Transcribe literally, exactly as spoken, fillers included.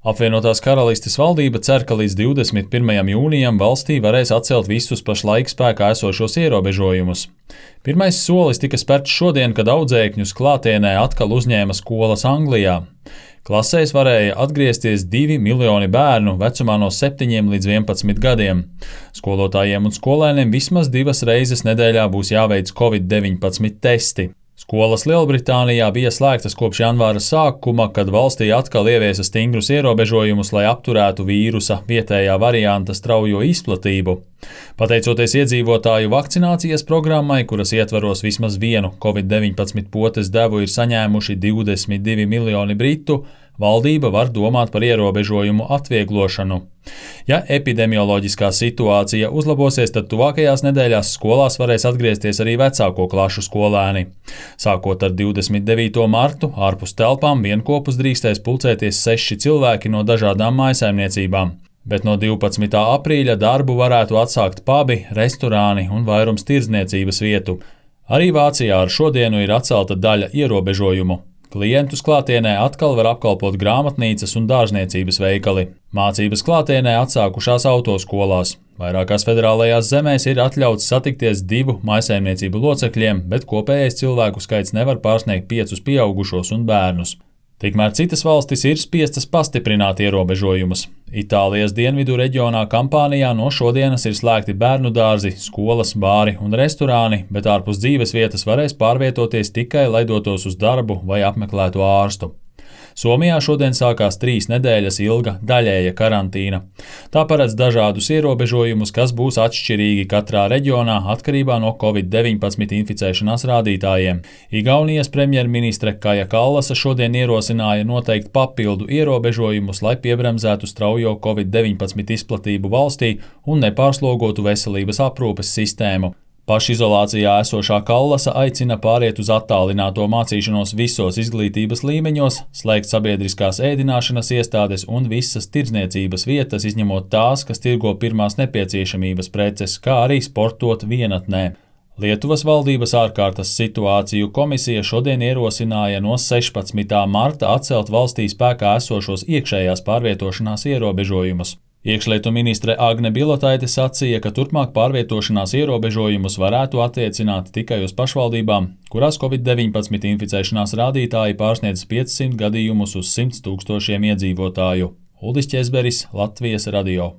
Apvienotās Karalistes valdība cer, ka līdz divdesmit pirmajam jūnijam valstī varēs atcelt visus pašlaik spēkā esošos ierobežojumus. Pirmais solis tika spērts šodien, kad audzēkņus klātienē atkal uzņēma skolas Anglijā. Klasēs varēja atgriezties divi miljoni bērnu vecumā no septiņiem līdz vienpadsmit gadiem. Skolotājiem un skolēniem vismaz divas reizes nedēļā būs jāveic covid deviņpadsmit testi. Skolas Lielbritānijā bija slēgtas kopš janvāra sākuma, kad valstī atkal ieviesa stingrus ierobežojumus, lai apturētu vīrusa vietējā varianta straujo izplatību. Pateicoties iedzīvotāju vakcinācijas programmai, kuras ietvaros vismaz vienu covid deviņpadsmit potes devu ir saņēmuši divdesmit divi miljoni britu, valdība var domāt par ierobežojumu atvieglošanu. Ja epidemioloģiskā situācija uzlabosies, tad tuvākajās nedēļās skolās varēs atgriezties arī vecāko klašu skolēni. Sākot ar divdesmit devīto martu, ārpus telpām vienkopus drīkstēs pulcēties seši cilvēki no dažādām mājsaimniecībām, bet no divpadsmitā aprīļa darbu varētu atsākt pubi, restorāni un vairums tirdzniecības vietu. Arī Vācijā ar šodienu ir atcelta daļa ierobežojumu. Klientus klātienē atkal var apkalpot grāmatnīcas un dārzniecības veikali. Mācības klātienē atsākušās autoskolās. Vairākās federālajās zemēs ir atļauts satikties divu mājsaimniecību locekļiem, bet kopējais cilvēku skaits nevar pārsniegt piecus pieaugušos un bērnus. Tikmēr citas valstis ir spiestas pastiprināt ierobežojumus. Itālijas dienvidu reģionā Kampānijā no šodienas ir slēgti bērnu dārzi, skolas, bāri un restorāni, bet ārpus dzīves vietas varēs pārvietoties tikai, lai dotos uz darbu vai apmeklētu ārstu. Somijā šodien sākās trīs nedēļas ilga daļēja karantīna. Tā paredz dažādus ierobežojumus, kas būs atšķirīgi katrā reģionā atkarībā no covid deviņpadsmit inficēšanās rādītājiem. Igaunijas premjerministre Kaja Kallasa šodien ierosināja noteikt papildu ierobežojumus, lai piebremzētu straujo covid deviņpadsmit izplatību valstī un nepārslogotu veselības aprūpes sistēmu. Pašizolācijā esošā Kallasa aicina pāriet uz attālināto mācīšanos visos izglītības līmeņos, slēgt sabiedriskās ēdināšanas iestādes un visas tirdzniecības vietas, izņemot tās, kas tirgo pirmās nepieciešamības preces, kā arī sportot vienatnē. Lietuvas valdības ārkārtas situāciju komisija šodien ierosināja no sešpadsmitā marta atcelt valstī spēkā esošos iekšējās pārvietošanās ierobežojumus. Iekšlietu ministre Agne Bilotaite sacīja, ka turpmāk pārvietošanās ierobežojumus varētu attiecināt tikai uz pašvaldībām, kurās covid deviņpadsmit inficēšanās rādītāji pārsniedz piecsimt gadījumus uz simts tūkstošiem iedzīvotāju. Uldis Ķezberis, Latvijas radio.